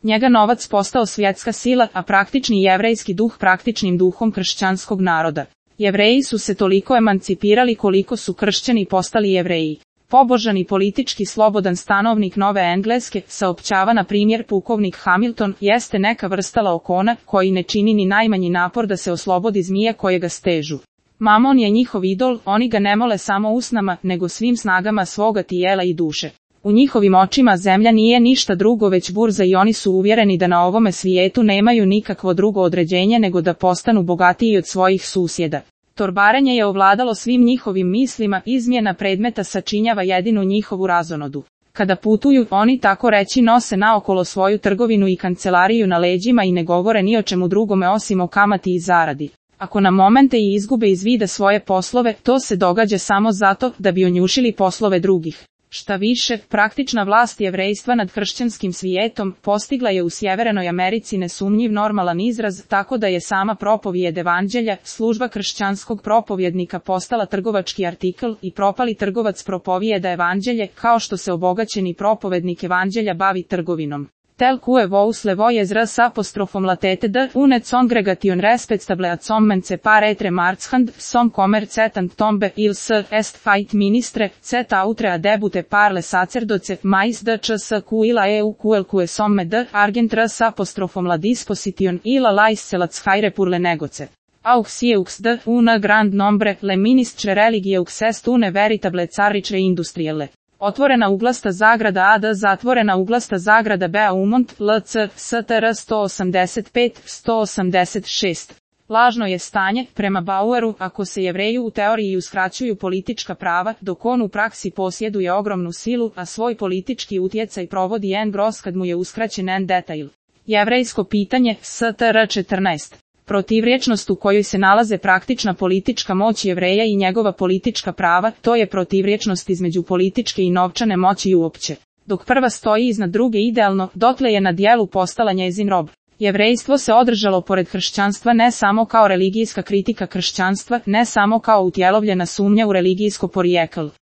Njega novac postao svjetska sila, a praktični jevrejski duh praktičnim duhom kršćanskog naroda. Jevreji su se toliko emancipirali koliko su kršćani postali Jevreji. Pobožan i politički slobodan stanovnik Nove Engleske, saopćava na primjer pukovnik Hamilton, jeste neka vrsta laokona, koji ne čini ni najmanji napor da se oslobodi zmije koje ga stežu. Mamon je njihov idol, oni ga ne mole samo usnama, nego svim snagama svoga tijela i duše. U njihovim očima zemlja nije ništa drugo već burza i oni su uvjereni da na ovome svijetu nemaju nikakvo drugo određenje nego da postanu bogatiji od svojih susjeda. Torbarenje je ovladalo svim njihovim mislima, izmjena predmeta sačinjava jedinu njihovu razonodu. Kada putuju, oni tako reći nose naokolo svoju trgovinu i kancelariju na leđima i ne govore ni o čemu drugome osim o kamati i zaradi. Ako na momente i izgube iz vida svoje poslove, to se događa samo zato da bi onjušili poslove drugih. Šta više, praktična vlast jevrejstva nad hršćanskim svijetom postigla je u Sjevernoj Americi nesumnjiv normalan izraz, tako da je sama propovijed evanđelja, služba kršćanskog propovjednika postala trgovački artikl i propali trgovac propovijeda evanđelje, kao što se obogaćeni propovednik evanđelja bavi trgovinom. Tel que vous le voyez s apostrofom latete d une congregation respectable ad sommence par etre marchand, som commercetant tombe ils est fait ministre, cet autre a debute par le sacerdoce, mais d cs quila eu que somme d argent s apostrofom la disposition ila lais celats haire pour le negoce. Aux sieux d una grand nombre, le ministre religieux est une veritable carrice industrielle. Otvorena uglasta zagrada AD zatvorena uglasta zagrada Beaumont, LC, STR 185-186. Lažno je stanje, prema Baueru, ako se Jevreju u teoriji uskraćuju politička prava, dok on u praksi posjeduje ogromnu silu, a svoj politički utjecaj provodi en gros kad mu je uskraćen en detail. Jevrejsko pitanje, STR 14. Protivrječnost u kojoj se nalaze praktična politička moć Jevreja i njegova politička prava, to je protivrječnost između političke i novčane moći uopće. Dok prva stoji iznad druge idealno, dotle je na djelu postala njezin rob. Jevrejstvo se održalo pored kršćanstva ne samo kao religijska kritika kršćanstva, ne samo kao utjelovljena sumnja u religijsko porijeklo.